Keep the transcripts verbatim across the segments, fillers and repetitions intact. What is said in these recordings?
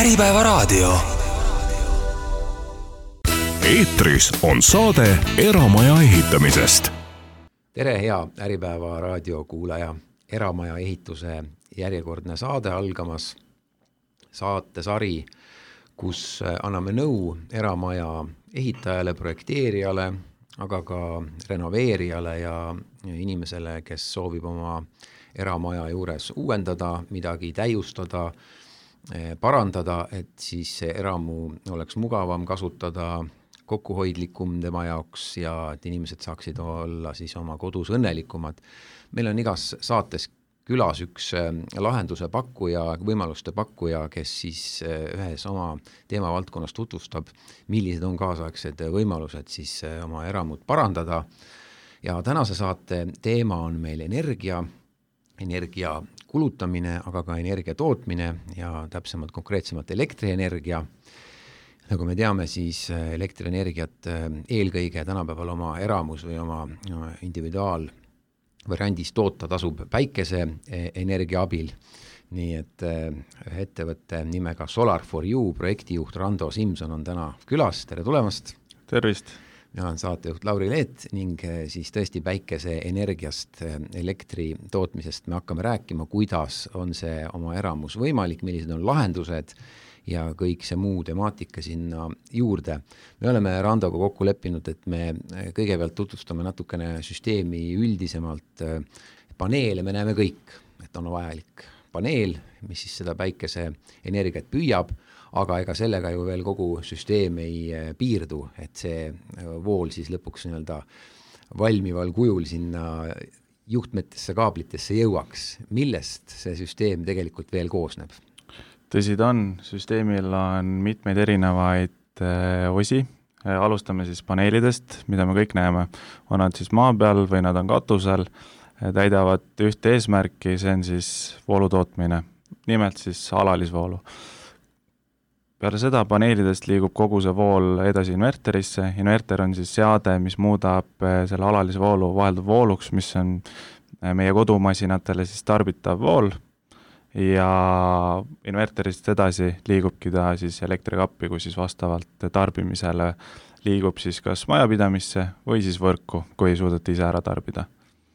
Äripäevaraadio. Eetris on saade Eramaja ehitamisest. Tere, hea Äripäeva raadio kuulaja. Eramaja ehituse järjekordne saade algamas. Saatesari, kus anname nõu eramaja ehitajale, projekteerijale, aga ka renoveerijale ja inimesele, kes soovib oma eramaja juures uuendada, midagi täiustada, parandada, et siis see eramu oleks mugavam kasutada, kokkuhoidlikum tema jaoks ja et inimesed saaksid olla siis oma kodus õnnelikumad. Meil on igas saates külas üks lahenduse pakkuja, võimaluste pakkuja, kes siis ühes oma teemavaldkonnas tutvustab, millised on kaasaegsed võimalused siis oma eramut parandada. Ja tänase saate teema on meil energia, energia kulutamine, aga ka energia tootmine ja täpsemalt konkreetsemalt elektrienergia. Nagu me teame, siis elektrienergiat eelkõige tänapäeval oma eramus või oma individuaalvariandis toota tasub päikese energia abil. Nii et ettevõtte nimega Solar for You projektijuht Rando Simson on täna külas. Tere tulemast! Tervist! Mina olen saatejuht Lauri Leet ning siis tõesti päikese energiast, elektri tootmisest me hakkame rääkima, kuidas on see oma eramus võimalik, millised on lahendused ja kõik see muu temaatika sinna juurde. Me oleme Randoga kokku leppinud, et me kõigepealt tutvustame natukene süsteemi üldisemalt. Paneele me näeme kõik, et on vajalik paneel, mis siis seda päikese energiat püüab, aga ega sellega ju veel kogu süsteem ei piirdu, et see vool siis lõpuks nii-öelda valmival kujul sinna juhtmetesse, kaablitesse jõuaks. Millest see süsteem tegelikult veel koosneb? Tõsi ta on, süsteemil on mitmeid erinevaid osi. Alustame siis paneelidest, mida me kõik näeme. On nad siis maa peal või nad on katusel, täidavad ühte eesmärki, see on siis voolu tootmine, nimelt siis alalisvoolu. Peale seda paneelidest liigub kogu see vool edasi inverterisse. Inverter on siis seade, mis muudab selle alalise voolu vahelduv vooluks, mis on meie kodumasinatele siis tarbitav vool. Ja inverterist edasi liigubki ta siis elektrikappi, kui siis vastavalt tarbimisele liigub siis kas majapidamisse või siis võrku, kui ei suudeta ise ära tarbida.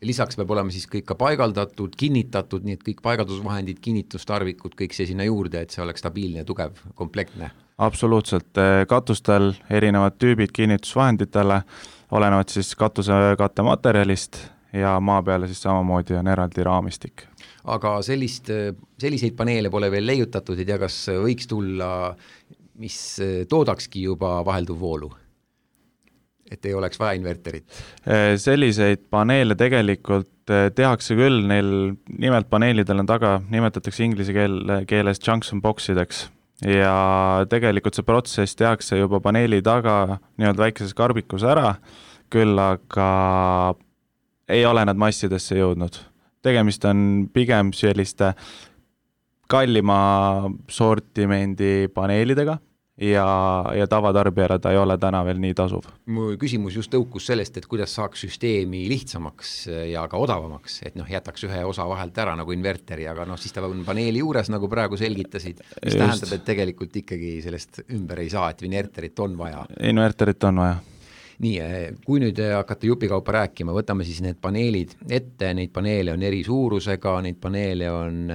Lisaks peab olema siis kõik ka paigaldatud, kinnitatud, nii et kõik paigaldusvahendid, kinnitustarvikud, kõik see sinna juurde, et see oleks stabiilne, tugev, komplektne. Absoluutselt. Katustel erinevad tüübid kinnitusvahenditele olenevad siis katuse kattematerjalist ja maa peale siis samamoodi on eraldi raamistik. Aga sellist, selliseid paneele pole veel leiutatud, ei tea, kas võiks tulla, mis toodakski juba vahelduv voolu? Et ei oleks vaja inverterit? Selliseid paneele tegelikult tehakse küll, neil nimelt paneelidel on taga, nimetatakse inglise keel, keeles junction boxideks ja tegelikult see protsess tehakse juba paneeli taga nii-öelda väikeses karbikus ära, küll aga ei ole nad massidesse jõudnud. Tegemist on pigem selliste kallima sortimendi paneelidega, ja, ja tavatarbijale ta ei ole täna veel nii tasuv. Mu küsimus just tõukus sellest, et kuidas saaks süsteemi lihtsamaks ja ka odavamaks, et noh, jätaks ühe osa vahelt ära nagu inverteri, aga noh, siis ta on paneeli juures, nagu praegu selgitasid, mis just tähendab, et tegelikult ikkagi sellest ümber ei saa, et inverterit on vaja. Inverterit on vaja. Nii, kui nüüd hakata jupikaupa rääkima, võtame siis need paneelid ette, neid paneele on eri suurusega, neid paneele on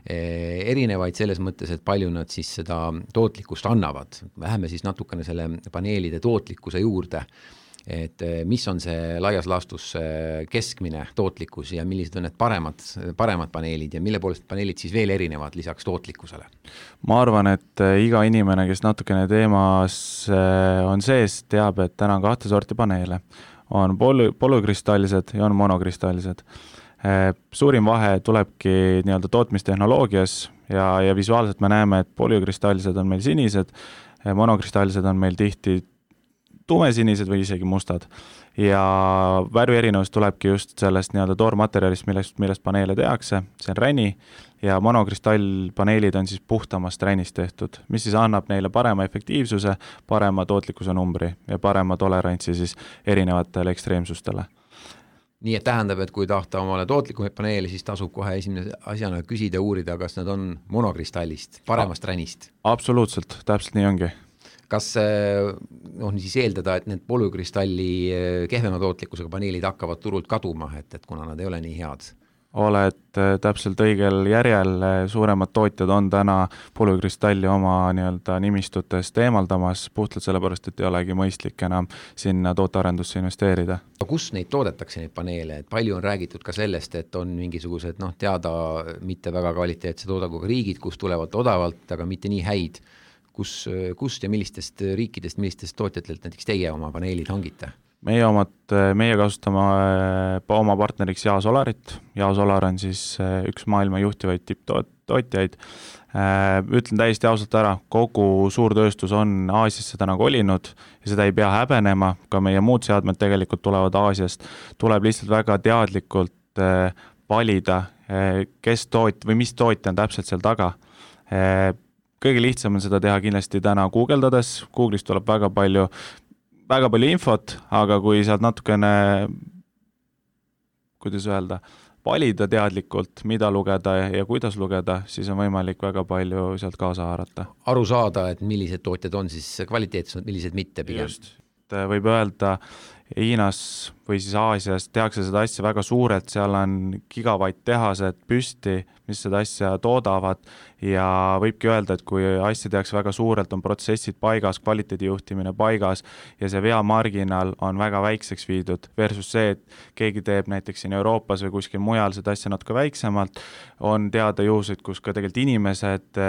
erinevaid selles mõttes, et palju nad siis seda tootlikkust annavad. Läheme siis natukene selle paneelide tootlikkuse juurde, et mis on see laias laastus keskmine tootlikkus ja millised on need paremad, paremad paneelid ja mille poolest paneelid siis veel erinevad lisaks tootlikkusele? Ma arvan, et iga inimene, kes natukene teemas on sees, teab, et täna on kahte sorti paneele. On poly- polükristalised ja on monokristallised. Suurim vahe tulebki nii-öelda tootmistehnoloogias ja, ja visuaalselt me näeme, et polükristalised on meil sinised, monokristallised on meil tihti tumesinised või isegi mustad. Ja värvi erinevus tulebki just sellest nii-öelda toormaterjalist, millest, millest paneele tehakse, see on räni ja monokristallpaneelid on siis puhtamast ränist tehtud, mis siis annab neile parema efektiivsuse, parema tootlikkuse numbri ja parema tolerantsi siis erinevatele ekstreemsustele. nii et tähendab, et kui tahta omale tootlikumaid paneele, siis tasub kohe esimene asjana küsida, uurida, kas nad on monokristallist, paremast ränist. Absoluutselt, täpselt nii ongi. Kas noh, siis eeldada, et need polükristalli kehvema tootlikkusega paneelid hakkavad turult kaduma, et, et kuna nad ei ole nii head? Oled täpselt õigel järjel, suuremad tootjad on täna polükristalli oma nii-öelda nimistutest eemaldamas, puhtalt sellepärast, et ei olegi mõistlik enam sinna tootearendusse investeerida. Kus neid toodetakse, neid paneele? Et palju on räägitud ka sellest, et on mingisugused noh, teada mitte väga kvaliteetse toodaguga riigid, kus tulevad odavalt, aga mitte nii häid. Kus, kust ja millistest riikidest, millistest tootjatelt näiteks teie oma paneelid hangite? Meie omad, meie kasutame oma partneriks Jaasolarit. Jaasolar on siis üks maailma juhtivaid tipptootjaid. Ütlen täiesti ausalt ära, kogu suurtööstus on Aasiasse täna kolinud ja seda ei pea häbenema, ka meie muud seadmed tegelikult tulevad Aasiast. Tuleb lihtsalt väga teadlikult valida, kes toot või mis tootja on täpselt seal taga. Kõige lihtsam on seda teha kindlasti täna guugeldades. Google'is tuleb väga palju väga palju infot, aga kui sealt natukene, kuidas öelda, valida teadlikult, mida lugeda ja kuidas lugeda, siis on võimalik väga palju sealt kaasa haarata. Aru saada, et millised tootjad on siis kvaliteetsed, millised mitte pigem. Just. Võib öelda, Hiinas või siis Aasias tehakse seda asja väga suurelt, seal on gigavatt tehased püsti, mis seda asja toodavad ja võibki öelda, et kui asja tehakse väga suurelt, on protsessid paigas, kvaliteedijuhtimine paigas ja see veamarginal on väga väikseks viidud versus see, et keegi teeb näiteks siin Euroopas või kuskil mujal seda asja natuke väiksemalt, on teada juhuseid, kus ka tegelikult inimesed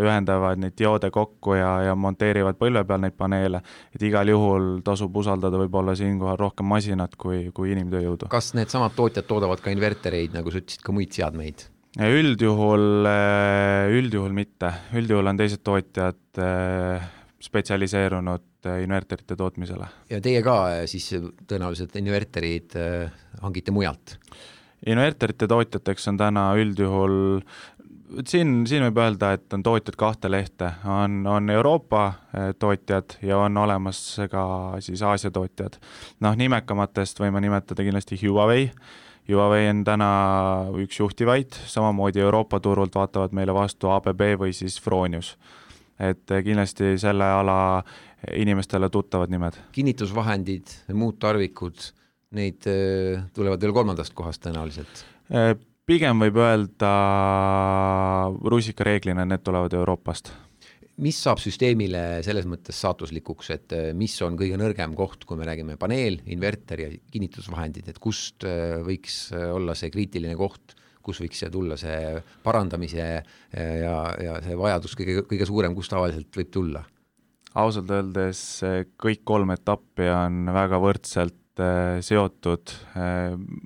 ühendavad neid dioode kokku ja, ja monteerivad põlve peal neid paneele, et igal juhul tasub usaldada võib-olla siinkohal rohkem masinat kui, kui inimtööjõudu. Kas need samad tootjad toodavad ka invertereid, nagu sa ütlesid, ka muid seadmeid? Üldjuhul, üldjuhul mitte. Üldjuhul on teised tootjad spetsialiseerunud inverterite tootmisele. Ja teie ka siis tõenäoliselt inverterid hangite mujalt? Inverterite tootjateks on täna üldjuhul, siin, siin võib öelda, et on tootjad kahte lehte. On, on Euroopa tootjad ja on olemas ka siis Aasia tootjad. Noh, nimekamatest võime nimetada kindlasti Huawei. Huawei on täna üks juhtivaid, samamoodi Euroopa turult vaatavad meile vastu A B B või siis Fronius. Et kindlasti selle ala inimestele tuttavad nimed. Kinnitusvahendid, muud tarvikud, neid tulevad veel kolmandast kohast tõenäoliselt? Pigem võib öelda rusikareeglina, need tulevad Euroopast. Mis saab süsteemile selles mõttes saatuslikuks, et mis on kõige nõrgem koht, kui me räägime paneel, inverter ja kinnitusvahendid, et kust võiks olla see kriitiline koht, kus võiks tulla see parandamise ja, ja see vajadus kõige, kõige suurem, kus tavaliselt võib tulla? Ausalt öeldes kõik kolm etappi on väga võrdselt seotud.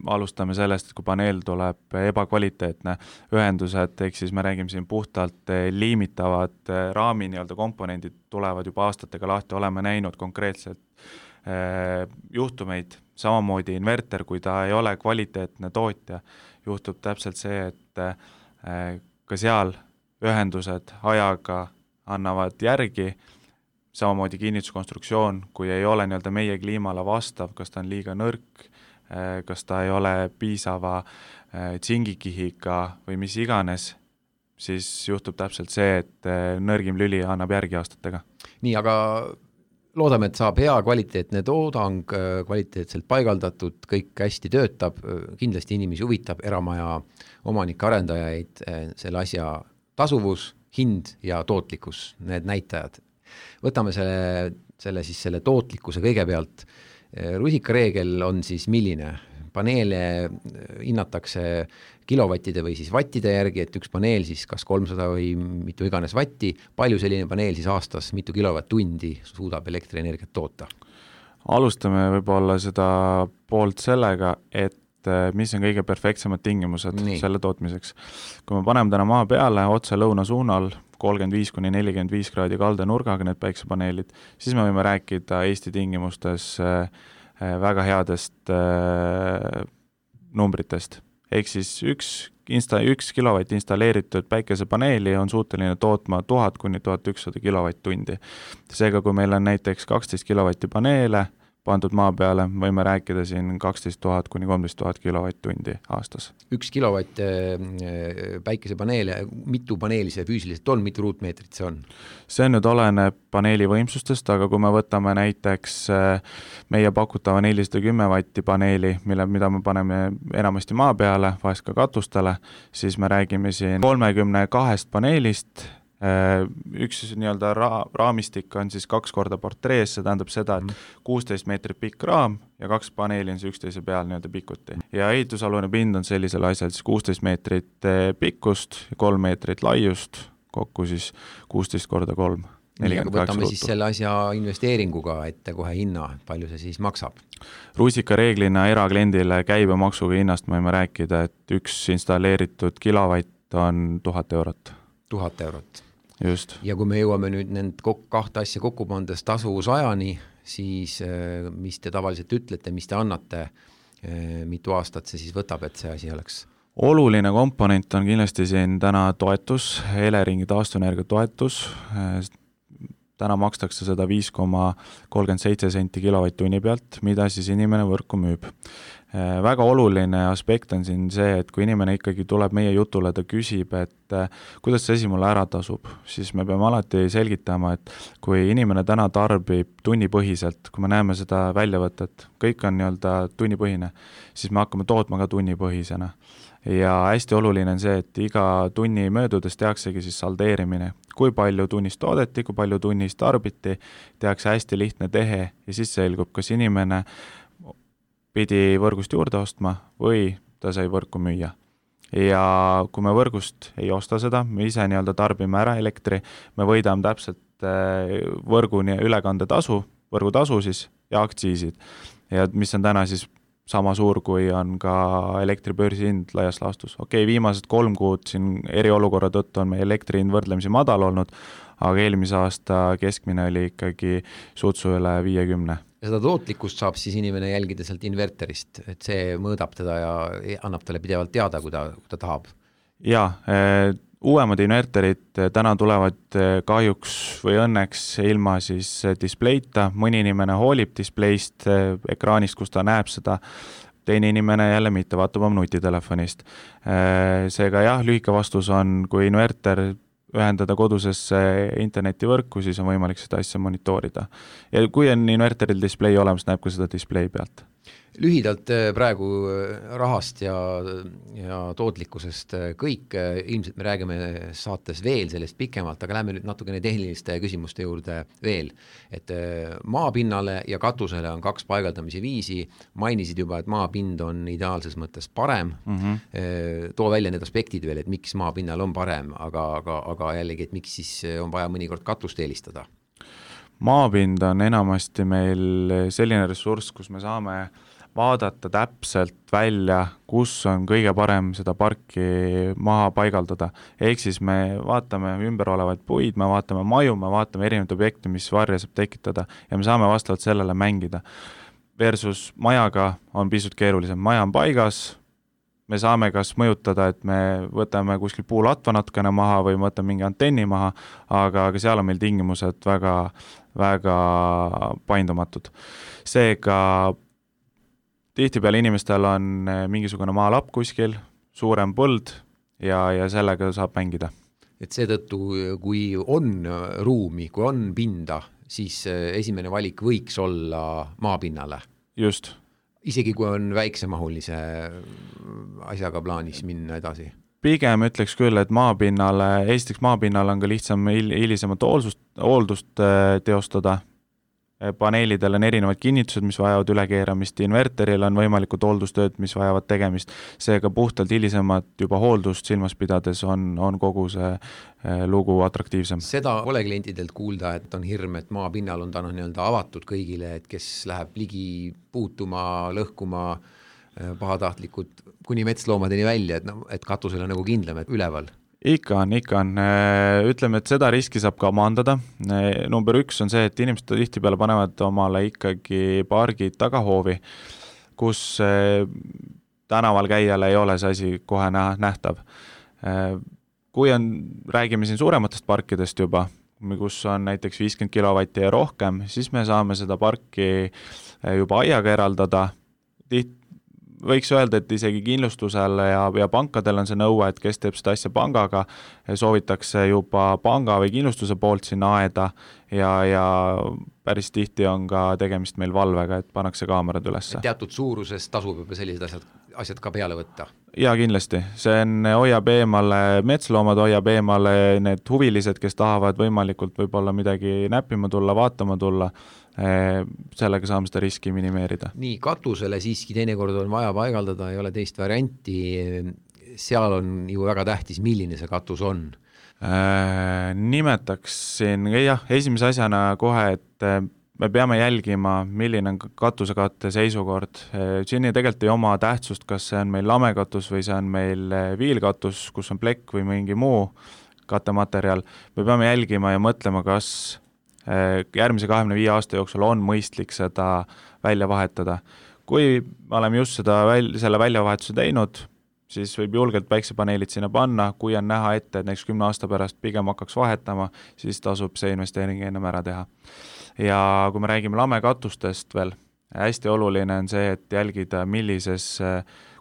Alustame sellest, et kui paneel tuleb ebakvaliteetne ühendused, ehk siis me räägime siin puhtalt liimitavad raami nii-öelda komponendid tulevad juba aastatega lahti, oleme näinud konkreetselt juhtumeid, samamoodi inverter, kui ta ei ole kvaliteetne tootja, juhtub täpselt see, et ka seal ühendused ajaga annavad järgi, samamoodi kinnituskonstruktsioon, kui ei ole nii-öelda meie kliimale vastav, kas ta on liiga nõrk, kas ta ei ole piisava tsingikihiga või mis iganes, siis juhtub täpselt see, et nõrgim lüli annab järgi aastatega. Nii, aga loodame, et saab hea kvaliteetne toodang, kvaliteetselt paigaldatud, kõik hästi töötab, kindlasti inimesi huvitab, eramaja omanike arendajaid, selle asja tasuvus, hind ja tootlikkus, need näitajad. Võtame selle, selle, siis selle tootlikkuse kõigepealt. Rusikareegel on siis milline? Paneele hinnatakse kilovattide või siis vattide järgi, et üks paneel siis kas kolmsada või mitu iganes vatti, palju selline paneel siis aastas, mitu kilovatt-tundi suudab elektrienergiat toota? Alustame võib-olla seda poolt sellega, et mis on kõige perfektsemad tingimused Nii. selle tootmiseks. Kui me paneme täna maa peale otse lõuna suunal, kolmkümmend viis kuni nelikümmend viis kraadi kalde nurgaga need päiksepaneelid, siis me võime rääkida Eesti tingimustes väga headest numbritest. Ehk siis üks, insta, üks kilovatt installeeritud päikesepaneeli on suuteline tootma tuhat kuni tuhat ükssada kilovatt-tundi. Seega, kui meil on näiteks kaksteist kilovatti paneele, pandud maa peale, võime rääkida siin kaksteist tuhat kuni kolmteist tuhat kilovatt-tundi aastas. Üks kilovatt päikesepaneele, mitu paneeli see füüsiliselt on, mitu ruutmeetrit see on? See nüüd oleneb paneeli võimsustest, aga kui me võtame näiteks meie pakutava nelisada kümme vatti paneeli, mille, mida me paneme enamasti maa peale, vahest ka katustele, siis me räägime siin kolmekümne kahest paneelist. Üks nii-öelda ra- raamistik on siis kaks korda portrees, see tähendab seda, et kuusteist meetrit pikk raam ja kaks paneeli on see üksteise peal nii-öelda pikuti. Ja ehitusalune pind on sellisel asjal siis kuusteist meetrit pikkust, kolm meetrit laiust, kokku siis kuusteist korda kolm. Võtame siis selle asja investeeringuga ette kohe hinna, palju see siis maksab? Rusika reeglina erakliendile käibemaksuga hinnast me võime rääkida, et üks installeeritud kilovatt on tuhat eurot. Tuhat eurot. Just. Ja kui me jõuame nüüd nend kahte asja kokku pandes tasuvusajani, siis mis te tavaliselt ütlete, mis te annate, mitu aastat see siis võtab, et see asi oleks? Oluline komponent on kindlasti siin täna toetus, Eleringi taastuvenergia toetus. Täna makstakse seda viis koma kolmkümmend seitse senti kilovatt-tunni pealt, mida siis inimene võrku müüb. Väga oluline aspekt on siin see, et kui inimene ikkagi tuleb meie jutule, ta küsib, et kuidas see asi mulle ära tasub, siis me peame alati selgitama, et kui inimene täna tarbib tunnipõhiselt, kui me näeme seda väljavõtet, kõik on nii-öelda tunnipõhine, siis me hakkame tootma ka tunnipõhisena. Ja hästi oluline on see, et iga tunni möödudes tehaksegi siis saldeerimine, kui palju tunnist toodeti, kui palju tunnist tarbiti, tehakse hästi lihtne tehe ja siis selgub, kas inimene pidi võrgust juurde ostma või ta sai võrku müüa. Ja kui me võrgust ei osta seda, me ise nii-öelda tarbime ära elektri, me võidame täpselt võrgu ülekande tasu, võrgutasu siis ja aktsiisid. Ja mis on täna siis sama suur, kui on ka elektribörsi hind laias laastus. Okei, okay, viimased kolm kuud siin eriolukorra tõttu on meie elektri hind võrdlemisi madal olnud, aga eelmise aasta keskmine oli ikkagi sutsu üle viiekümne. Ja seda tootlikkust saab siis inimene jälgida sealt inverterist, et see mõõdab teda ja annab talle pidevalt teada, kui ta, kui ta tahab. Jaa, uuemad inverterid täna tulevad kahjuks või õnneks ilma siis displeita, mõni inimene hoolib displeist ekraanist, kus ta näeb seda, teine inimene jälle mitte, vaatab oma nutitelefonist. Seega jah, lühike vastus on, kui inverter ühendada kodusesse internetivõrku, siis on võimalik seda asja monitoorida. Ja kui on inverteril display olemas, näeb ka seda display pealt. Lühidalt praegu rahast ja, ja tootlikkusest kõik, ilmselt me räägime saates veel sellest pikemalt, aga lähme nüüd natukene tehniliste küsimuste juurde veel. Et maapinnale ja katusele on kaks paigaldamise viisi, mainisid juba, et maapind on ideaalses mõttes parem, mm-hmm. too välja need aspektid veel, et miks maapinnal on parem, aga, aga, aga jällegi, et miks siis on vaja mõnikord katust eelistada? Maapind on enamasti meil selline ressurss, kus me saame vaadata täpselt välja, kus on kõige parem seda parki maha paigaldada. Ehk siis me vaatame ümber olevaid puid, me vaatame maju, me vaatame erinevaid objekte, mis varja saab tekitada ja me saame vastavalt sellele mängida. Versus majaga on pisut keerulisem. Maja on paigas, me saame kas mõjutada, et me võtame kuskil puulatva natukene maha või võtame mingi antenni maha, aga, aga seal on meil tingimused väga, väga paindumatud. Seega tihtipeale inimestel on mingisugune maalapp kuskil, suurem põld ja, ja sellega saab mängida. Et seetõttu, kui on ruumi, kui on pinda, siis esimene valik võiks olla maapinnale. Just. Isegi kui on väiksemahulise asjaga plaanis minna edasi. Pigem ütleks küll, et maapinnale, esiteks maapinnale on ka lihtsam hilisemat hooldust, hooldust teostada. Paneelidel on erinevad kinnitused, mis vajavad ülekeeramist, inverteril on võimalikud hooldustööd, mis vajavad tegemist. Seega puhtalt hilisemat juba hooldust silmas pidades on, on kogu see lugu atraktiivsem. Seda pole klientidelt kuulda, et on hirm, et maapinnal on ta nii-öelda avatud kõigile, et kes läheb ligi puutuma, lõhkuma, pahatahtlikud kuni metsloomadeni välja, et, no, et katusel on nagu kindlam, et üleval. Ikka on, ikka on. Ütleme, et seda riski saab ka maandada. Number üks on see, et inimesed tihtipeale panevad omale ikkagi pargid tagahoovi, kus tänaval käijale ei ole see asi kohe nähtav. Kui on, räägime siin suurematest parkidest juba, kus on näiteks viiskümmend kilovatti ja rohkem, siis me saame seda parki juba aiaga eraldada. Tiht, võiks öelda, et isegi kindlustusel ja, ja pankadel on see nõue, et kes teeb seda asja pangaga, soovitakse juba panga või kindlustuse poolt sinna aeda ja, ja päris tihti on ka tegemist meil valvega, et pannakse kaamerad ülesse. Teatud suuruses tasub juba sellised asjad, asjad ka peale võtta? Jaa, kindlasti. See on, hoiab eemale metsloomad, hoiab eemale need huvilised, kes tahavad võimalikult võib-olla midagi näppima tulla, vaatama tulla, sellega saame seda riski minimeerida. Nii, katusele siiski teinekord on vaja paigaldada, ei ole teist varianti, seal on ju väga tähtis, milline see katus on. Äh, nimetaksin, jah, esimese asjana kohe, et me peame jälgima, milline on katusekatte seisukord. Siin ei tegelikult ei oma tähtsust, kas see on meil lamekatus või see on meil viilkatus, kus on plekk või mingi muu kattematerjal. Me peame jälgima ja mõtlema, kas järgmise kahekümne viie aasta jooksul on mõistlik seda välja vahetada. Kui me oleme just seda väl, selle väljavahetuse teinud, siis võib julgelt päiksepaneelid sinna panna, kui on näha ette, et näiteks kümne aasta pärast pigem hakkaks vahetama, siis tasub see investeering ennem ära teha. Ja kui me räägime lamekatustest veel, hästi oluline on see, et jälgida, millises,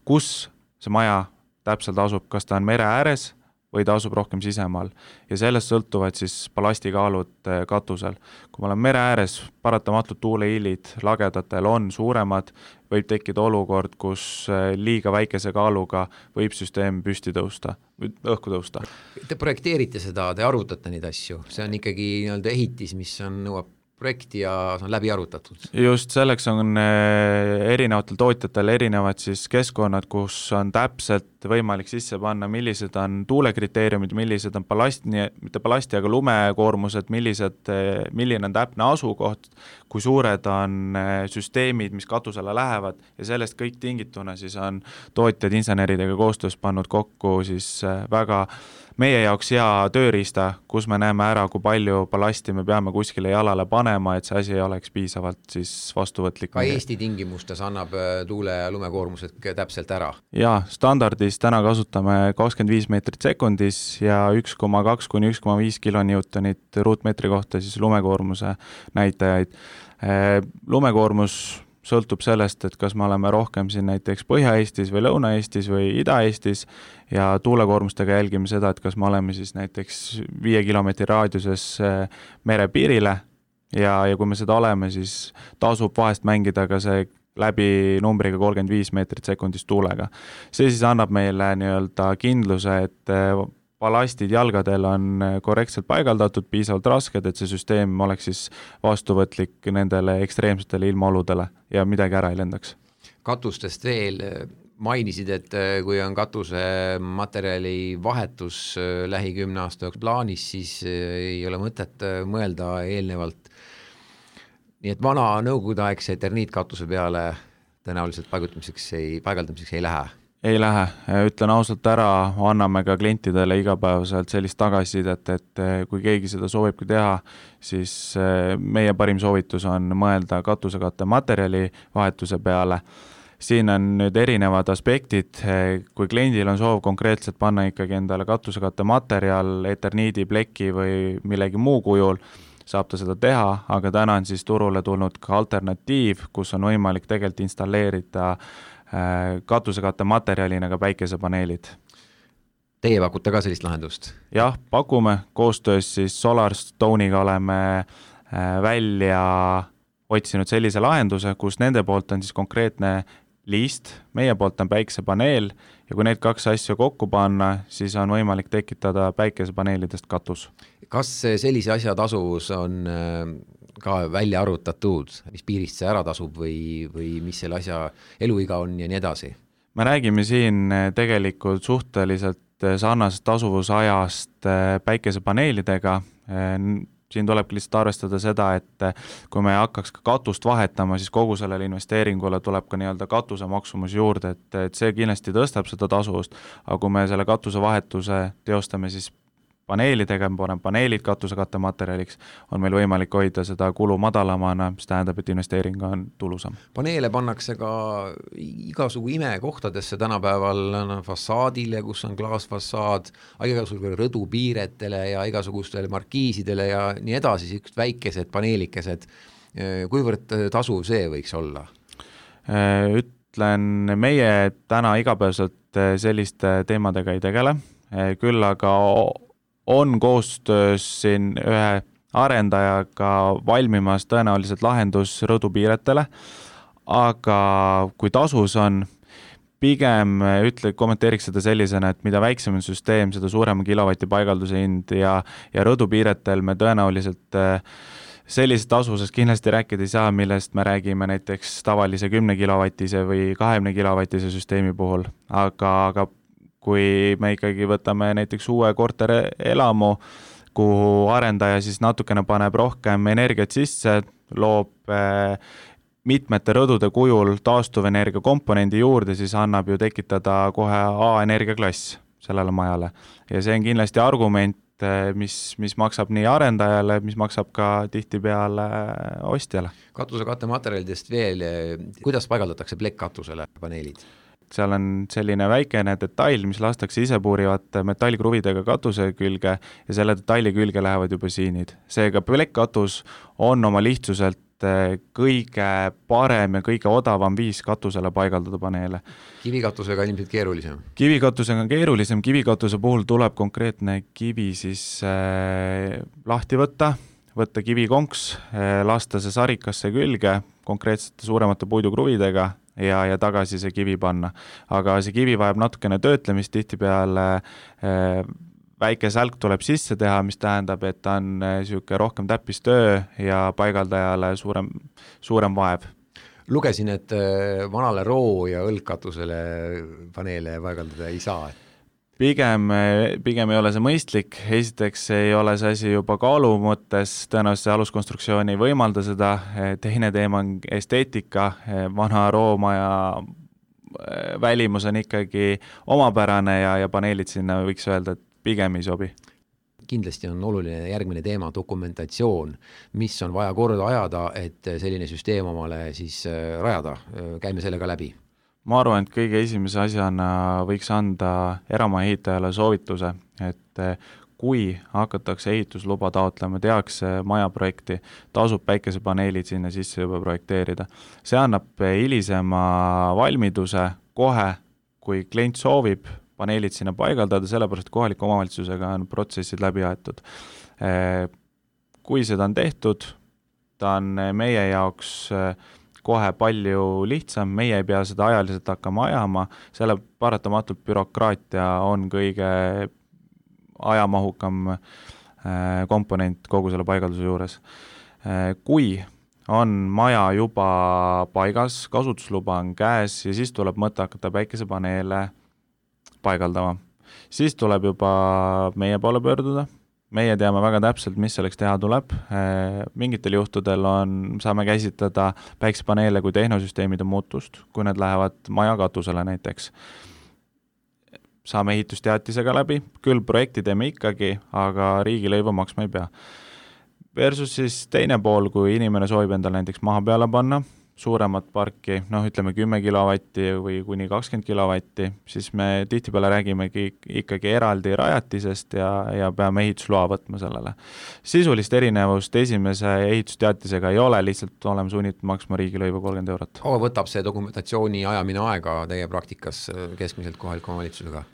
kus see maja täpselt asub, kas ta on mere ääres või ta asub rohkem sisemaal. Ja sellest sõltuvad siis ballastikaalud katusel. Kui me oleme mere ääres, paratamatult tuulehiilid lagedatel on suuremad, võib tekkida olukord, kus liiga väikese kaaluga võib süsteem püsti tõusta, õhku tõusta. Te projekteerite seda, te arutate neid asju, see on ikkagi nii-öelda ehitis, mis on, nõuab projekti ja see on läbi arutatud. Just selleks on erinevatel tootjatel erinevad siis keskkonnad, kus on täpselt võimalik sisse panna, millised on tuulekriteeriumid, millised on ballasti, mitte balasti, aga lumekoormused, millised, milline on täpne asukoht, kui suured on süsteemid, mis katusele lähevad ja sellest kõik tingituna siis on tootjad inseneridega koostöös pannud kokku siis väga meie jaoks hea tööriista, kus me näeme ära, kui palju ballasti me peame kuskile jalale panema, et see asi ei oleks piisavalt siis vastuvõtlik. Ka Eesti tingimustes annab tuule- ja lumekoormused täpselt ära? Jaa, standardis täna kasutame kakskümmend viis meetrit sekundis ja üks koma kaks kuni üks koma viis kilonewtonit ruutmeetri kohta siis lumekoormuse näitajaid. Lumekoormus sõltub sellest, et kas me oleme rohkem siin näiteks Põhja-Eestis või Lõuna-Eestis või Ida-Eestis ja tuulekoormustega jälgime seda, et kas me oleme siis näiteks viie kilomeetri raadiuses merepiirile ja, ja kui me seda oleme, siis tasub vahest mängida ka see läbi numbriga kolmkümmend viis meetrit sekundis tuulega. See siis annab meile nii-öelda kindluse, et balastid jalgadel on korrektselt paigaldatud, piisavalt rasked, et see süsteem oleks siis vastuvõtlik nendele ekstreemsetele ilmaoludele ja midagi ära ei lendaks. Katustest veel mainisid, et kui on katuse materjali vahetus lähi kümne aasta plaanis, siis ei ole mõtet mõelda eelnevalt. Nii et vana nõukogudeaegse eterniitkatuse peale tõenäoliselt paigutamiseks ei, paigaldamiseks ei lähe. Ei lähe, ütlen ausalt ära, anname ka klientidele igapäevaselt sellist tagasisidet, et kui keegi seda soovibki teha, siis meie parim soovitus on mõelda katusekatte materjali vahetuse peale. Siin on nüüd erinevad aspektid, kui kliendil on soov konkreetselt panna ikkagi endale katusekatte materjal, eterniidi, pleki või millegi muu kujul, saab ta seda teha, aga täna on siis turule tulnud ka alternatiiv, kus on võimalik tegelikult installeerida katusekatte materjalina ka päikesepaneelid. Teie pakute ka sellist lahendust? Jah, pakume. Koostöös siis SolarStone'iga oleme välja otsinud sellise lahenduse, kus nende poolt on siis konkreetne liist, meie poolt on päikesepaneel ja kui need kaks asja kokku panna, siis on võimalik tekitada päikesepaneelidest katus. Kas sellise asja tasuvus on ka välja arvutatud, mis piirist see ära tasub või, või mis selle asja eluiga on ja nii edasi? Me räägime siin tegelikult suhteliselt sarnasest tasuvusajast päikesepaneelidega. Siin tuleb lihtsalt arvestada seda, et kui me hakkaks ka katust vahetama, siis kogu sellele investeeringule tuleb ka nii-öelda katuse maksumus juurde, et, et see kindlasti tõstab seda tasuvust, aga kui me selle katuse vahetuse teostame siis paneelidega, me paneme paneelid katuse kattematerjaliks, on meil võimalik hoida seda kulu madalamana, mis tähendab, et investeering on tulusam. Paneele pannakse ka igasugu imekohtadesse tänapäeval no, fassaadile, kus on klaasfassaad, igasugu rõdupiiretele ja igasugustele markiisidele ja nii edasi, siuksed väikesed paneelikesed. Kuivõrd tasuv see võiks olla? Ütlen, meie täna igapäevaselt selliste teemadega ei tegele, küll aga on koostöös siin ühe arendajaga valmimas tõenäoliselt lahendus rõdupiiretele, aga kui tasus on, pigem ütle, kommenteeriks seda sellisena, et mida väiksem on süsteem, seda suurema kilovati paigalduse hind ja, ja rõdupiiretel me tõenäoliselt sellisest tasusest kindlasti rääkida ei saa, millest me räägime näiteks tavalise kümne kilovatise või kahekümne kilovatise süsteemi puhul, aga, aga kui me ikkagi võtame näiteks uue korterelamu, kuhu arendaja siis natukene paneb rohkem energiat sisse, loob eh, mitmete rõdude kujul taastuvenergia komponendi juurde, siis annab ju tekitada kohe A-energiaklass sellele majale. Ja see on kindlasti argument, mis, mis maksab nii arendajale, mis maksab ka tihtipeale ostjale. Katuse kattematerjalidest veel, kuidas paigaldatakse plekkkatusele paneelid? Seal on selline väikene detail, mis lastakse ise puurivate metallkruvidega katuse külge ja selle detaili külge lähevad juba siinid. Seega plekkkatus on oma lihtsuselt kõige parem ja kõige odavam viis katusele paigaldada paneele. Kivikatusega on ilmselt keerulisem? Kivikatusega on keerulisem. Kivikatuse puhul tuleb konkreetne kivi siis äh, lahti võtta, võtta kivikonks, äh, lasta see sarikasse külge konkreetsete suuremate puidukruvidega ja, ja tagasi see kivi panna. Aga see kivi vajab natukene töötlemist, tihtipeale äh, väike sälk tuleb sisse teha, mis tähendab, et ta on siuke rohkem täppistöö ja paigaldajale suurem, suurem vaev. Lugesin, et vanale roo- ja õlgkatusele paneele paigaldada ei saa. Pigem, pigem ei ole see mõistlik. Esiteks ei ole see asi juba kaalu mõttes, tõenäoliselt see aluskonstruktsiooni ei võimalda seda. Teine teema on esteetika. Vana roomaja välimus on ikkagi omapärane ja, ja paneelid sinna võiks öelda, et pigem ei sobi. Kindlasti on oluline järgmine teema dokumentatsioon, mis on vaja korda ajada, et selline süsteem omale siis rajada. Käime sellega läbi. Ma arvan, et kõige esimese asjana võiks anda eramaja ehitajale soovituse, et kui hakatakse ehitusluba taotlema, tehakse majaprojekti, tasub päikesepaneelid sinna sisse juba projekteerida. See annab hilisema valmiduse kohe, kui klient soovib paneelid sinna paigaldada, sellepärast kohaliku omavalitsusega on protsessid läbi aetud. Kui seda on tehtud, ta on meie jaoks kohe palju lihtsam, meie ei pea seda ajaliselt hakkama ajama, selle paratamatult bürokraatia on kõige ajamahukam komponent kogu selle paigalduse juures. Kui on maja juba paigas, kasutusluba on käes ja siis tuleb mõte hakata päikesepaneele paigaldama. Siis tuleb juba meie poole pöörduda. Meie teame väga täpselt, mis selleks teha tuleb. Mingitel juhtudel on, saame käsitleda päikesepaneele kui tehnosüsteemide muutust, kui need lähevad maja katusele näiteks. Saame ehitusteatisega läbi, küll projekti teeme ikkagi, aga riigilõivu maksma ei pea. Versus siis teine pool, kui inimene soovib endale näiteks maha peale panna, suuremat parki, noh ütleme kümme kilovatti või kuni kakskümmend kilovatti, siis me tihtipeale räägimegi ikkagi eraldi rajatisest ja, ja peame ehitusloa võtma sellele. Sisulist erinevust esimese ehitusteatisega ei ole, lihtsalt oleme sunnitud maksma riigilõivu kolmkümmend eurot. Kaua võtab see dokumentatsiooni ajamine aega teie praktikas keskmiselt kohaliku omavalitsusega?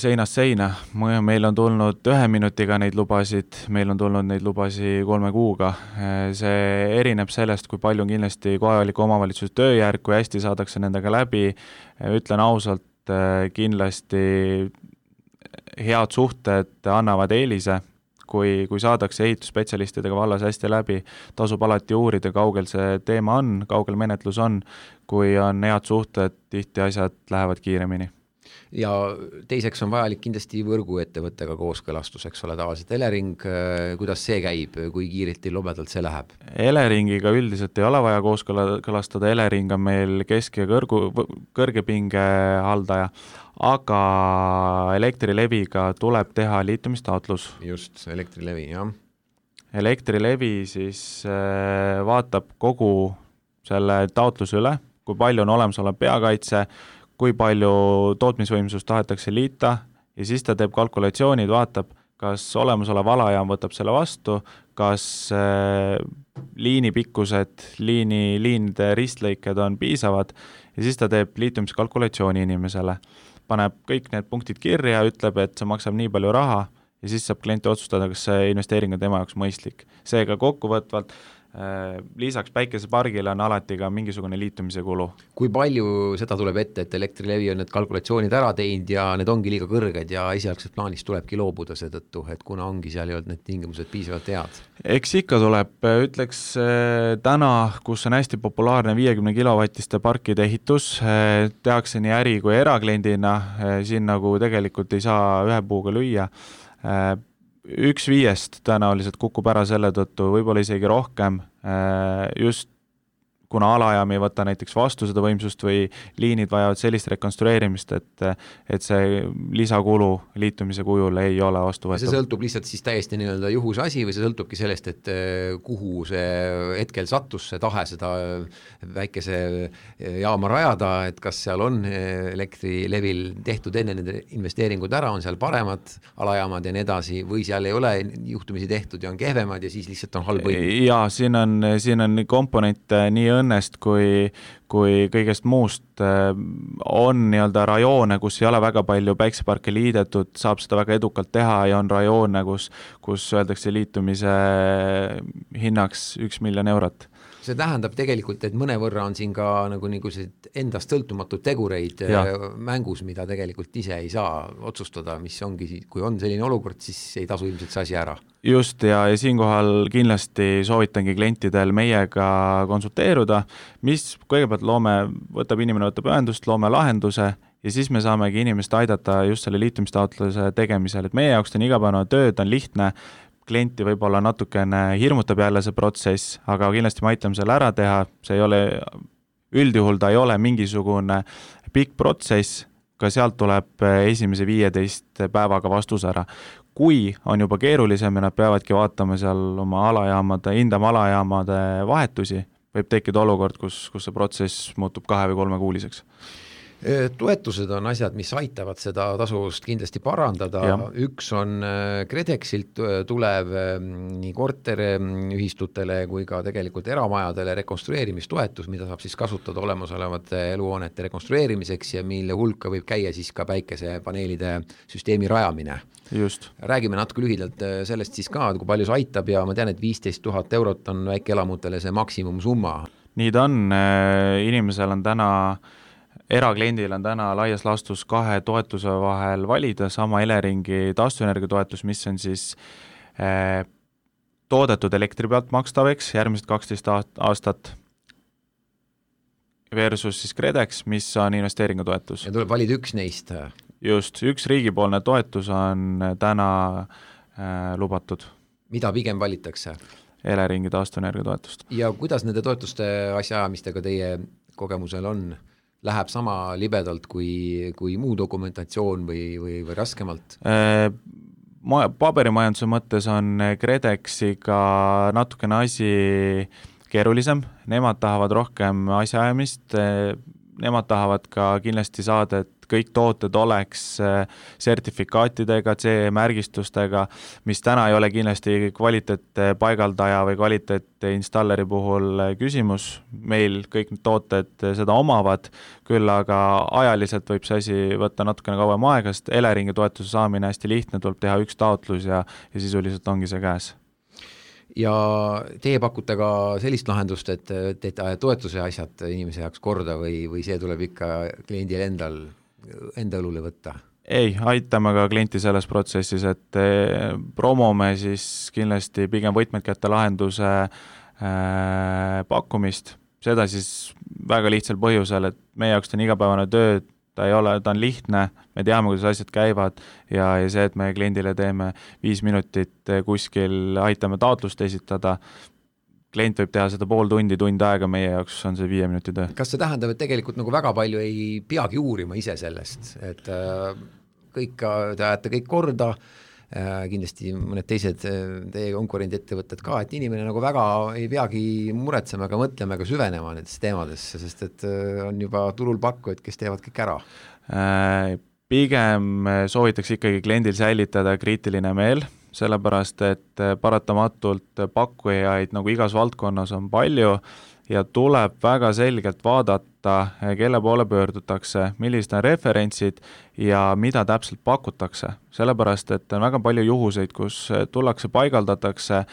Seinast seina. Meil on tulnud ühe minutiga neid lubasid, meil on tulnud neid lubasi kolme kuuga. See erineb sellest, kui palju on kindlasti kohaliku omavalitsuse tööjärg, kui hästi saadakse nendega läbi. Ütlen ausalt, kindlasti head suhted annavad eelise, kui, kui saadakse ehitusspetsialistidega vallas hästi läbi, tasub alati uurida, kaugel see teema on, kaugel menetlus on, kui on head suhted, tihti asjad lähevad kiiremini. ja teiseks on vajalik kindlasti võrguettevõttega kooskõlastus, eks ole, tavaliselt Elering, kuidas see käib, kui kiirelt ja lobedalt see läheb? Eleringiga üldiselt ei ole vaja kooskõlastada, Elering on meil kesk- ja kõrgu, kõrgepinge haldaja, aga Elektrileviga tuleb teha liitumistaotlus. Just, Elektrilevi, jah. Elektrilevi siis vaatab kogu selle taotluse üle, kui palju on olemasolev peakaitse, kui palju tootmisvõimsust tahetakse liita ja siis ta teeb kalkulatsioonid, vaatab, kas olemasolev alajaam võtab selle vastu, kas äh, liini pikkused, liini, liinide ristlõiked on piisavad ja siis ta teeb liitumiskalkulatsiooni inimesele. Paneb kõik need punktid kirja, ütleb, et see maksab nii palju raha ja siis saab klient otsustada, kas see investeering on tema jaoks mõistlik. Seega kokkuvõtvalt lisaks päikesepargile on alati ka mingisugune liitumise kulu. Kui palju seda tuleb ette, et Elektrilevi on need kalkulatsioonid ära teinud ja need ongi liiga kõrged ja esialgselt plaanis tulebki loobuda seetõttu, et kuna ongi seal ei olnud need tingimused piisavalt head? Eks ikka tuleb, ütleks täna, kus on hästi populaarne viiekümne kilovatiste parkide ehitus, tehakse nii äri kui erakliendina, siin nagu tegelikult ei saa ühe puuga lüüa. Üks viiest tõenäoliselt kukub ära selle tõttu, võib-olla isegi rohkem, just kuna alajaam ei võta näiteks vastu seda võimsust või liinid vajavad sellist rekonstrueerimist, et, et see lisakulu liitumise kujul ei ole vastuvõetav. See sõltub lihtsalt siis täiesti nii-öelda juhuse asi või see sõltubki sellest, et kuhu see hetkel sattus, see tahe seda väikese jaama rajada, et kas seal on Elektrilevil tehtud enne nende investeeringud ära, on seal paremad alajaamad ja nii edasi või seal ei ole juhtumisi tehtud ja on kehvemad ja siis lihtsalt on halb õigus? Jaa, siin on, siin on komponent nii õnnest kui, kui kõigest muust on nii-öelda rajoone, kus ei ole väga palju päikseparke liidetud, saab seda väga edukalt teha ja on rajoone, kus, kus öeldakse liitumise hinnaks üks miljon eurot. See tähendab tegelikult, et mõnevõrra on siin ka nagu niisugused endast sõltumatud tegureid ja. mängus, mida tegelikult ise ei saa otsustada, mis ongi, kui on selline olukord, siis ei tasu ilmselt see asi ära. Just, ja, ja siinkohal kindlasti soovitangi klientidel meiega konsulteeruda, mis kõigepealt loome, võtab inimene, võtab ühendust, loome lahenduse ja siis me saamegi inimest aidata just selle liitumistaotluse tegemisel, et meie jaoks on igapäevane töö, ta on lihtne, klienti võib-olla natukene hirmutab jälle see protsess, aga kindlasti me aitame selle ära teha, see ei ole, üldjuhul ta ei ole mingisugune pikk protsess, ka sealt tuleb esimese viieteist päevaga vastus ära. Kui on juba keerulisem ja nad peavadki vaatama seal oma alajaamade, hindama alajaamade vahetusi, võib tekkida olukord, kus, kus see protsess muutub kahe või kolme kuuliseks. Toetused on asjad, mis aitavad seda tasuvust kindlasti parandada. Ja. Üks on KredExilt tulev nii korteriühistutele kui ka tegelikult eramajadele rekonstrueerimistoetus, mida saab siis kasutada olemasolevate eluhoonete rekonstrueerimiseks ja mille hulka võib käia siis ka päikesepaneelide süsteemi rajamine. Just. Räägime natuke lühidalt sellest siis ka, kui palju see aitab ja ma tean, et viisteist tuhat eurot on väikeelamutele see maksimumsumma. Nii ta on, inimesel on täna erakliendil on täna laias laastus kahe toetuse vahel valida, sama Eleringi taastuvenergia toetus, mis on siis eh, toodetud elektri pealt makstaveks järgmised kaksteist aastat versus siis KredEx, mis on investeeringutoetus. Ja tuleb valida üks neist. Just, üks riigipoolne toetus on täna eh, lubatud. Mida pigem valitakse? Eleringi taastuvenergia toetust. Ja kuidas nende toetuste asjaajamistega teie kogemusel on? Läheb sama libedalt kui, kui muu dokumentatsioon või, või, või raskemalt? Ma, paberimajanduse mõttes on KredExiga natukene asi keerulisem, nemad tahavad rohkem asjaajamist, nemad tahavad ka kindlasti saada, et kõik tooted oleks sertifikaatidega, C E-märgistustega, mis täna ei ole kindlasti kvaliteet paigaldaja või kvaliteet installeri puhul küsimus. Meil kõik need tooted seda omavad, küll aga ajaliselt võib see asi võtta natukene kauem aega, sest Eleringi toetuse saamine hästi lihtne, tuleb teha üks taotlus ja, ja sisuliselt ongi see käes. Ja teie pakute ka sellist lahendust, et teete toetuse asjad inimese jaoks korda või, või see tuleb ikka kliendil endal enda õlule võtta? Ei, aitame ka klienti selles protsessis, et promome siis kindlasti pigem võtmed kätte lahenduse äh, pakkumist, seda siis väga lihtsal põhjusel, et meie jaoks on igapäevane töö ta ei ole, ta on lihtne, me teame, kuidas asjad käivad ja, ja see, et me kliendile teeme viis minutit kuskil, aitame taotlust esitada, klient võib teha seda pool tundi, tund aega, meie jaoks on see viie minuti töö. Kas see tähendab, et tegelikult nagu väga palju ei peagi uurima ise sellest, et äh, kõik te ajate kõik korda, äh, kindlasti mõned teised teie konkurentettevõtted ka, et inimene nagu väga ei peagi muretsema ega mõtlema ega süvenema nendesse teemadesse, sest et äh, on juba turul pakkujad, kes teevad kõik ära. Äh, pigem soovitakse ikkagi kliendil säilitada kriitiline meel, sellepärast, et paratamatult pakkujaid nagu igas valdkonnas on palju ja tuleb väga selgelt vaadata, kelle poole pöördutakse, millised on referentsid ja mida täpselt pakutakse. Sellepärast, et on väga palju juhuseid, kus tullakse, paigaldatakse,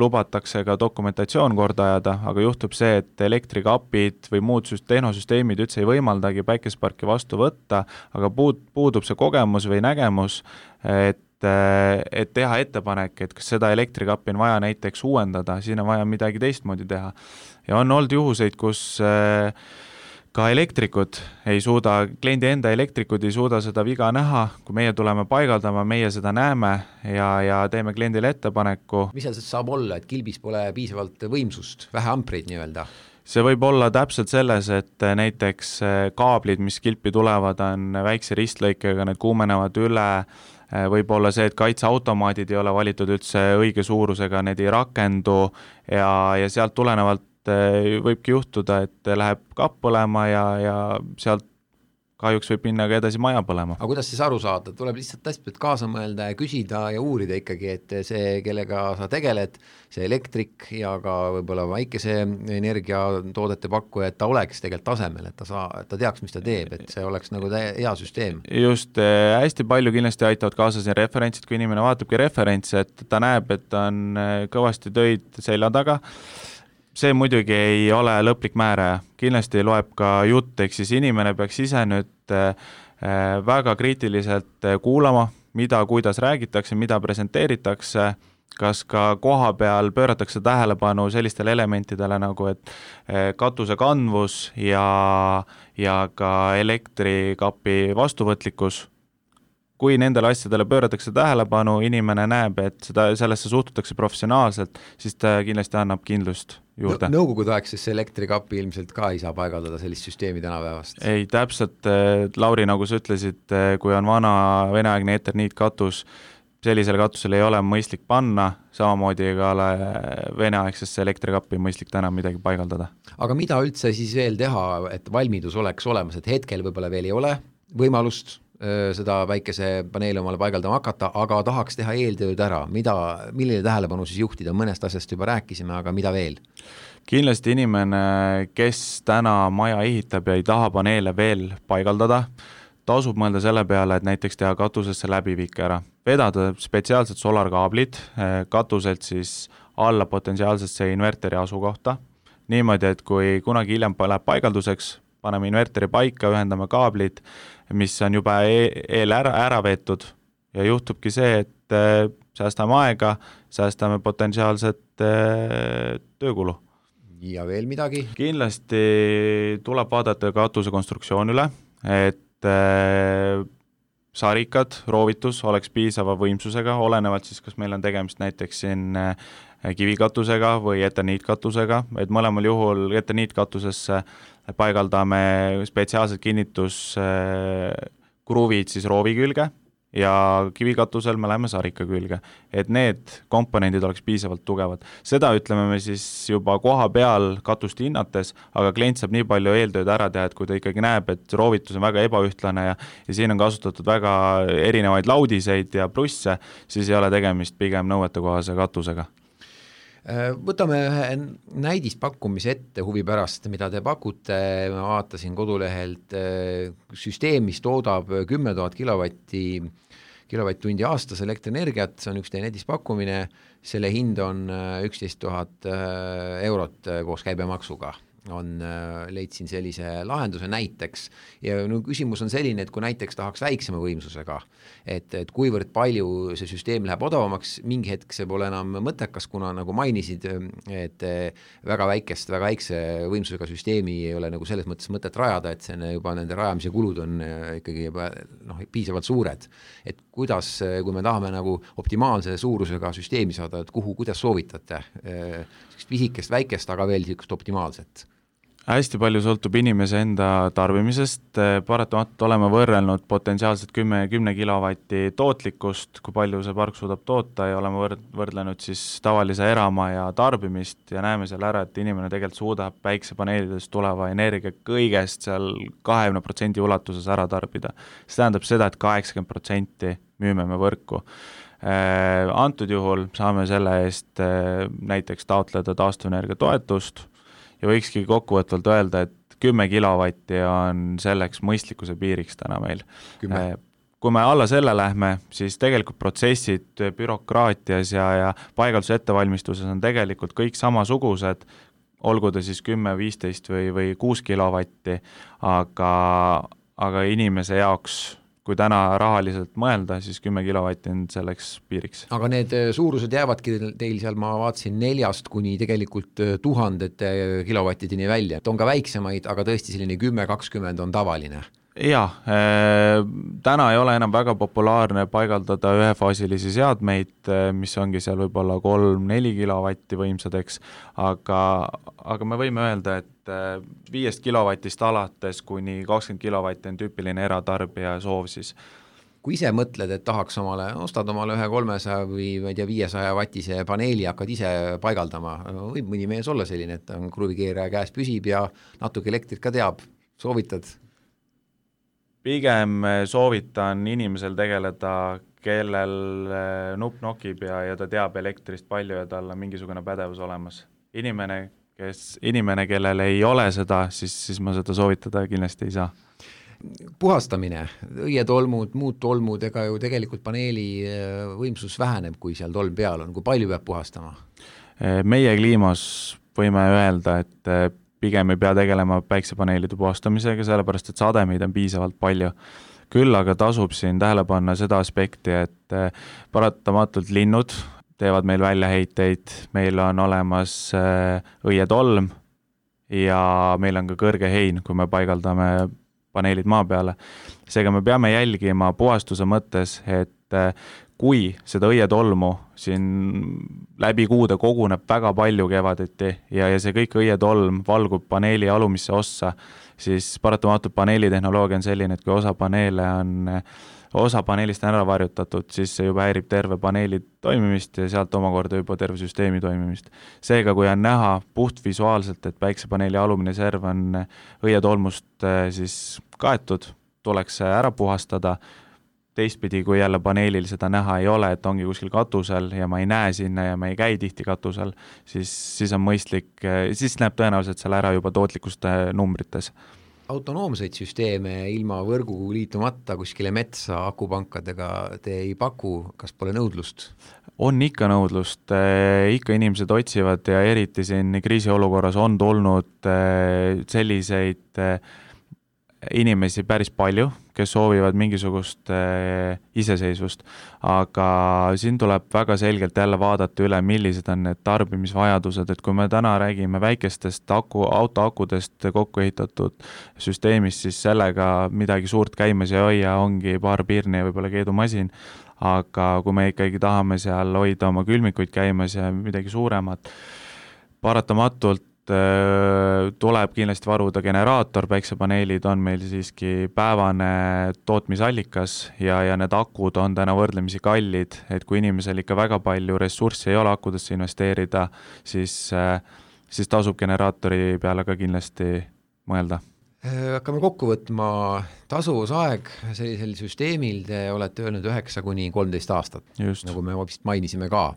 lubatakse ka dokumentatsioon korda ajada, aga juhtub see, et elektrikapid või muud tehnosüsteemid üldse ei võimaldagi päikesparki vastu võtta, aga puud, puudub see kogemus või nägemus, et et teha ettepanek, et kas seda elektrikappi on vaja näiteks uuendada, siin on vaja midagi teistmoodi teha. Ja on olnud juhuseid, kus ka elektrikud ei suuda, kliendi enda elektrikud ei suuda seda viga näha, kui meie tuleme paigaldama, meie seda näeme ja, ja teeme kliendile ettepaneku. Mis seal saab olla, et kilbis pole piisavalt võimsust, vähe ampreid nii-öelda? See võib olla täpselt selles, et näiteks kaablid, mis kilpi tulevad, on väikse ristlõikega, need kuumenevad üle, võib olla see, et kaitseautomaadid ei ole valitud üldse õige suurusega, need ei rakendu ja, ja sealt tulenevalt võibki juhtuda, et läheb kapp põlema ja, ja sealt kahjuks võib minna ka edasi maja põlema. Aga kuidas siis aru saada? Tuleb lihtsalt hästi kaasa mõelda ja küsida ja uurida ikkagi, et see, kellega sa tegeled, see elektrik ja ka võib-olla väikese energiatoodete pakkuja, et ta oleks tegelikult tasemel, et ta, saa, et ta teaks, mis ta teeb, et see oleks nagu hea süsteem. Just, hästi palju kindlasti aitavad kaasa siin referentsid, kui inimene vaatabki referentsi, et ta näeb, et on kõvasti töid selja taga. See muidugi ei ole lõplik määraja, kindlasti loeb ka jutt, ehk siis inimene peaks ise nüüd väga kriitiliselt kuulama, mida, kuidas räägitakse, mida presenteeritakse, kas ka koha peal pööratakse tähelepanu sellistele elementidele nagu, et katuse kandvus ja, ja ka elektrikapi vastuvõtlikkus. Kui nendele asjadele pööratakse tähelepanu, inimene näeb, et seda, sellesse suhtutakse professionaalselt, siis ta kindlasti annab kindlust juurde. No, nõukogude aegses elektrikapi ilmselt ka ei saa paigaldada sellist süsteemi tänapäevast? Ei, täpselt, Lauri, nagu sa ütlesid, kui on vana veneaegne eterniitkatus, sellisele katusele ei ole mõistlik panna, samamoodi ega ole veneaegsesse elektrikappi mõistlik täna midagi paigaldada. Aga mida üldse siis veel teha, et valmidus oleks olemas, et hetkel võib-olla veel ei ole võimalust seda väikese paneeli omale paigaldama hakata, aga tahaks teha eeltööd ära, mida, milline tähelepanu siis juhtida, mõnest asjast juba rääkisime, aga mida veel? Kindlasti inimene, kes täna maja ehitab ja ei taha paneele veel paigaldada, tasub mõelda selle peale, et näiteks teha katusesse läbiviike ära. Vedada spetsiaalsed solarkaablid katuselt siis alla potentsiaalsesse inverteri asukohta. Niimoodi, et kui kunagi hiljem läheb paigalduseks, paneme inverteri paika, ühendame kaablid, mis on juba eel ära, ära veetud ja juhtubki see, et säästame aega, säästame potentsiaalset töökulu. Ja veel midagi? Kindlasti tuleb vaadata katuse konstruktsioon üle, et sarikad, roovitus oleks piisava võimsusega, olenevalt siis, kas meil on tegemist näiteks siin kivikatusega või eterniitkatusega, et mõlemal juhul eterniitkatusesse paigaldame spetsiaalsed kinnituskruvid siis roovi külge ja kivikatusel me läheme sarika külge, et need komponendid oleks piisavalt tugevad. Seda ütleme me siis juba koha peal katust hinnates, aga klient saab nii palju eeltööd ära teha, et kui ta ikkagi näeb, et roovitus on väga ebaühtlane ja, ja siin on kasutatud väga erinevaid laudiseid ja plusse, siis ei ole tegemist pigem nõuetekohase katusega. Võtame ühe näidispakkumise ette huvi pärast, mida te pakute, ma vaatasin kodulehelt, süsteem, mis toodab kümme tuhat kilovatti, kilovatt-tundi aastas elektrienergiat, see on üks teie näidispakkumine, selle hind on üksteist tuhat eurot koos käibemaksuga. on, leidsin sellise lahenduse näiteks ja no küsimus on selline, et kui näiteks tahaks väiksema võimsusega, et, et kuivõrd palju see süsteem läheb odavamaks, mingi hetk see pole enam mõttekas, kuna nagu mainisid, et väga väikest, väga väikse võimsusega süsteemi ei ole nagu selles mõttes mõtet rajada, et see juba nende rajamise kulud on ikkagi juba noh, piisavalt suured. Et kuidas, kui me tahame nagu optimaalse suurusega süsteemi saada, et kuhu, kuidas soovitate? Pisikest, väikest, aga veel niisugust optimaalset? Hästi palju sõltub inimese enda tarbimisest, paratamatult oleme võrrelnud potentsiaalselt kümne kilovatti tootlikkust, kui palju see park suudab toota ja oleme võrdlenud siis tavalise eramaja tarbimist ja näeme seal ära, et inimene tegelikult suudab päiksepaneelidest tuleva energia kõigest seal kakskümmend protsenti ulatuses ära tarbida. See tähendab seda, et kaheksakümmend protsenti müüme me võrku. Antud juhul saame selle eest näiteks taotleda taastuvenergia toetust, ja võikski kokkuvõtvalt öelda, et kümme kilovatti on selleks mõistlikkuse piiriks täna meil. kümme. Kui me alla selle lähme, siis tegelikult protsessid bürokraatias ja, ja paigalduse ettevalmistuses on tegelikult kõik samasugused, olgu ta siis kümme, viisteist või, või kuus kilovatti, aga, aga inimese jaoks kui täna rahaliselt mõelda, siis kümme kilovatti on selleks piiriks. Aga need suurused jäävadki teil seal, ma vaatasin neljast kuni tegelikult tuhandete kilovattideni välja. Et on ka väiksemaid, aga tõesti selline kümme kakskümmend on tavaline. Jaa, äh, täna ei ole enam väga populaarne paigaldada ühefaasilisi seadmeid, mis ongi seal võib-olla kolm neli kilovatti võimsadeks, aga, aga me võime öelda, et viiest kilovatist alates kuni kakskümmend kilovatti on tüüpiline eratarbija soov siis. Kui ise mõtled, et tahaks omale, ostad omale ühe kolmesaja või ma ei tea, viiesaja vatise paneeli, hakkad ise paigaldama, võib mõni mees olla selline, et on kruvikeeraja käes püsib ja natuke elektrit ka teab, soovitad? Pigem soovitan inimesel tegeleda, kellel nupp nokib ja, ja ta teab elektrist palju ja tal on mingisugune pädevus olemas. Inimene, kes, inimene, kellel ei ole seda, siis, siis ma seda soovitada kindlasti ei saa. Puhastamine, õietolmud, muud tolmud, ega ju tegelikult paneeli võimsus väheneb, kui seal tolm peal on. Kui palju peab puhastama? Meie kliimas võime öelda, et pigem ei pea tegelema päiksepaneelide puhastamisega, sellepärast et sademeid on piisavalt palju. Küll aga tasub siin tähele panna seda aspekti, et paratamatult linnud teevad meil väljaheiteid, meil on olemas õietolm ja meil on ka kõrge hein, kui me paigaldame paneelid maa peale. Seega me peame jälgima puhastuse mõttes, et kui seda õietolmu siin läbi kuude koguneb väga palju kevadeti ja, ja see kõik õietolm valgub paneeli alumisse ossa, siis paratamatult paneelitehnoloogia on selline, et kui osa paneele on, osa paneelist on ära varjutatud, siis see juba häirib terve paneeli toimimist ja sealt omakorda juba terve süsteemi toimimist. Seega, kui on näha puht visuaalselt, et päiksepaneeli alumine serv on õietolmust siis kaetud, tuleks see ära puhastada. Teistpidi, kui jälle paneelil seda näha ei ole, et ongi kuskil katusel ja ma ei näe sinna ja ma ei käi tihti katusel, siis, siis on mõistlik, siis näeb tõenäoliselt seal ära juba tootlikust numbrites. Autonoomseid süsteeme ilma võrgu liitumata kuskile metsa akupankadega te ei paku, kas pole nõudlust? On ikka nõudlust, ikka inimesed otsivad ja eriti siin kriisiolukorras on tulnud selliseid inimesi päris palju, kes soovivad mingisugust äh, iseseisvust, aga siin tuleb väga selgelt jälle vaadata üle, millised on need tarbimisvajadused, et kui me täna räägime väikestest aku, autoakudest kokku ehitatud süsteemist, siis sellega midagi suurt käimas ei hoia, ongi paar pirni ja võib-olla keedumasin, aga kui me ikkagi tahame seal hoida oma külmikuid käimas ja midagi suuremat, paratamatult tuleb kindlasti varuda generaator, päiksepaneelid on meil siiski päevane tootmisallikas ja, ja need akud on täna võrdlemisi kallid, et kui inimesel ikka väga palju ressurssi ei ole akudesse investeerida, siis, siis tasub generaatori peale ka kindlasti mõelda. Hakkame kokku võtma tasuvusaeg sellisel süsteemil, te olete öelnud üheksa kuni kolmteist aastat, Just. nagu me vist mainisime ka.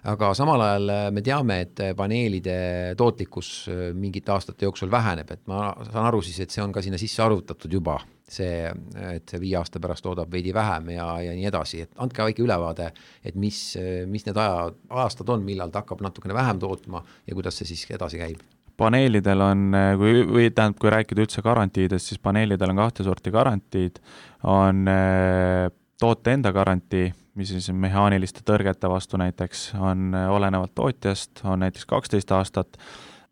Aga samal ajal me teame, et paneelide tootlikkus mingite aastate jooksul väheneb, et ma saan aru siis, et see on ka sinna sisse arvutatud juba, see, et see viie aasta pärast toodab veidi vähem ja, ja nii edasi, et andke väike ülevaade, et mis, mis need aja, aastad on, millal ta hakkab natukene vähem tootma ja kuidas see siis edasi käib? paneelidel on, kui, või tähendab, kui rääkida üldse garantiidest, siis paneelidel on kahte sorti garantiid, on toote enda garantii, mis siis mehaaniliste tõrgete vastu näiteks on olenevalt tootjast, on näiteks kaksteist aastat,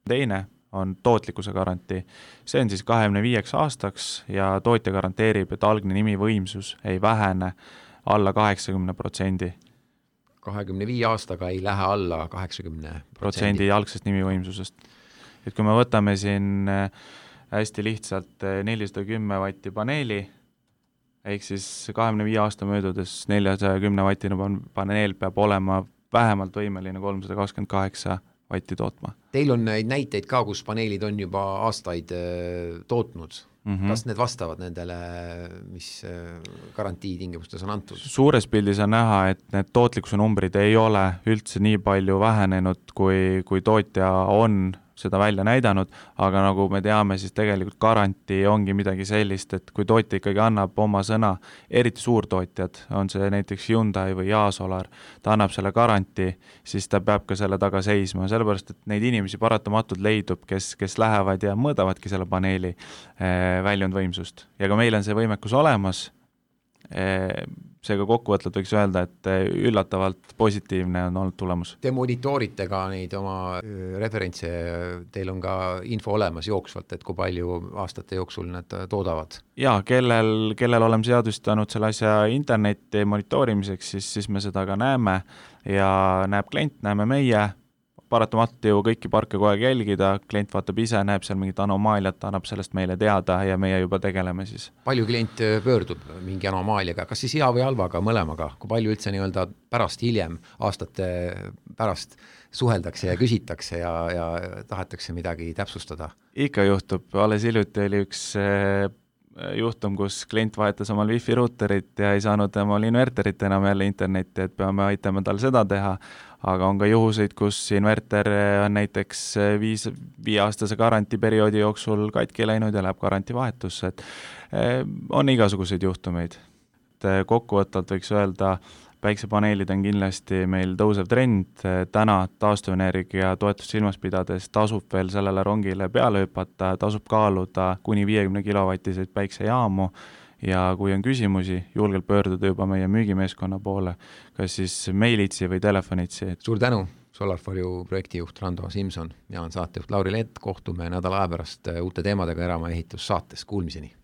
teine on tootlikkuse garantii. See on siis kahekümne viieks aastaks ja tootja garanteerib, et algne nimivõimsus ei vähene alla kaheksakümne protsendi. kahekümne viie aastaga ei lähe alla kaheksakümne protsendi algsest nimivõimsusest. Et kui me võtame siin hästi lihtsalt nelisada kümme vatti paneeli, ehk siis kahekümne viie aasta möödudes neljasaja kümne vatine paneel peab olema vähemalt võimeline kolmsada kakskümmend kaheksa vatti tootma. Teil on neid näiteid ka, kus paneelid on juba aastaid tootnud. Mm-hmm. Kas need vastavad nendele, mis garantii tingimustes on antud? Suures pildis on näha, et need tootlikkuse numbrid ei ole üldse nii palju vähenenud, kui, kui tootja on seda välja näidanud, aga nagu me teame, siis tegelikult garantii ongi midagi sellist, et kui tootja ikkagi annab oma sõna, eriti suurtootjad, on see näiteks Hyundai või Jaasolar, ta annab selle garantii, siis ta peab ka selle taga seisma, sellepärast, et neid inimesi paratamatult leidub, kes, kes lähevad ja mõõdavadki selle paneeli eh, väljundvõimsust. Ja ka meil on see võimekus olemas, eh, seega kokkuvõtlelt võiks öelda, et üllatavalt positiivne on olnud tulemus. Te monitoorite ka neid oma referentse, teil on ka info olemas jooksvalt, et kui palju aastate jooksul nad toodavad? Jaa, kellel, kellel oleme seadustanud selle asja interneti monitoorimiseks, siis, siis me seda ka näeme ja näeb klient, näeme meie, paratamatult ju kõiki parke kogu aeg jälgida, klient vaatab ise, näeb seal mingit anomaaliat, annab sellest meile teada ja meie juba tegeleme siis. Palju klient pöördub mingi anomaaliaga, kas siis hea või halvaga, mõlemaga? Kui palju üldse nii-öelda pärast hiljem, aastate pärast suheldakse ja küsitakse ja, ja tahetakse midagi täpsustada? Ikka juhtub, alles hiljuti oli üks juhtum, kus klient vahetas omal wifi ruuterit ja ei saanud omal inverterit enam jälle internetti, et peame aitama tal seda teha, aga on ka juhuseid, kus inverter on näiteks viis, viieaastase garantiperioodi jooksul katki läinud ja läheb garantivahetusse, et on igasuguseid juhtumeid. Kokkuvõttalt võiks öelda, päiksepaneelid on kindlasti meil tõusev trend, täna taastuvenergia toetust silmas pidades tasub veel sellele rongile peale hüpata, tasub kaaluda kuni viiekümne kilovatiseid päiksejaamu ja kui on küsimusi, julgelt pöörduda juba meie müügimeeskonna poole, kas siis meilitsi või telefonitsi. Suur tänu, SolarForju projektijuht Rando Simson ja on saatejuht Lauri Lett, kohtume nädala aja pärast uute teemadega Eramaja ehitus saates, kuulmiseni!